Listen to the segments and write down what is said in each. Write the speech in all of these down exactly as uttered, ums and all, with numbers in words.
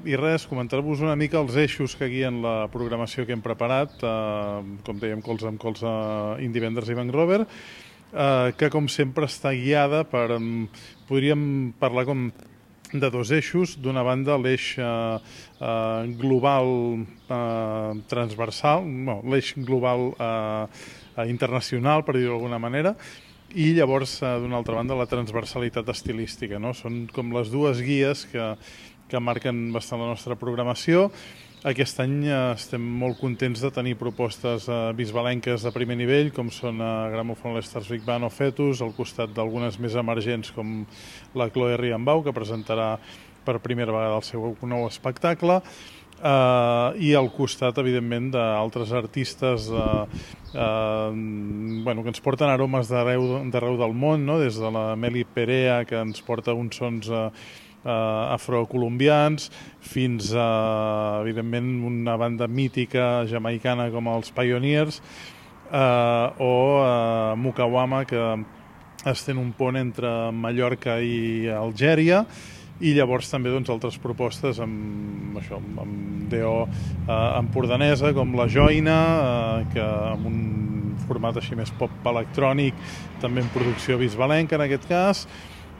I res, comentar-vos una mica els eixos que guien la programació que hem preparat, com dèiem, colze amb colze, Indie Vendors i Bank Rover, que com sempre està guiada per, podríem parlar com de dos eixos. D'una banda, l'eix eh, eh, global eh, transversal, no, l'eix global eh, internacional, per dir-ho d'alguna manera, i llavors, eh, d'una altra banda, la transversalitat estilística, no? Són com les dues guies que, que marquen bastant la nostra programació. Aquest any eh, estem molt contents de tenir propostes eh, bisbalenques de primer nivell, com són eh, Gramophone, Stars Big Band o Fetus, al costat d'algunes més emergents com la Chloe Riambau, que presentarà per primera vegada el seu nou espectacle, eh, i al costat, evidentment, d'altres artistes eh, eh, bueno, que ens porten aromes d'arreu del món, no? Des de la Meli Perea, que ens porta uns sons eh, Uh, afrocolombians, fins a, evidentment, una banda mítica jamaicana com els Pioneers, uh, o uh, Mukawama, que estén un pont entre Mallorca i Algèria, i llavors també doncs, altres propostes amb, això, amb D O uh, empordanesa, com la Joina, uh, que amb un format així més pop electrònic, també en producció bisbalenca en aquest cas,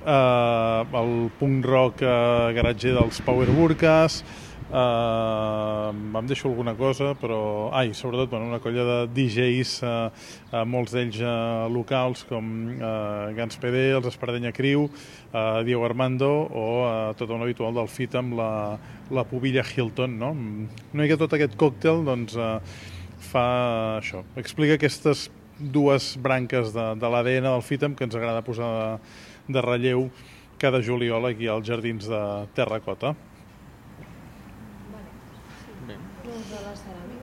Uh, el punk rock uh, garatger dels Power Burkas, uh, em deixo alguna cosa, però ai, sobretot bueno, una colla de D Js, uh, uh, molts d'ells uh, locals, com uh, Gans P D, els Espardenya Crew, uh, Diego Armando, o uh, tot un habitual del fit amb la, la Pubilla Hilton, no? Una mica tot aquest còctel doncs, uh, fa això, explica aquestes dues branques de, de l'A D N del FITAM que ens agrada posar de, de relleu cada juliol aquí als jardins de Terracota. Vale. Bé. Doncs de la ceràmica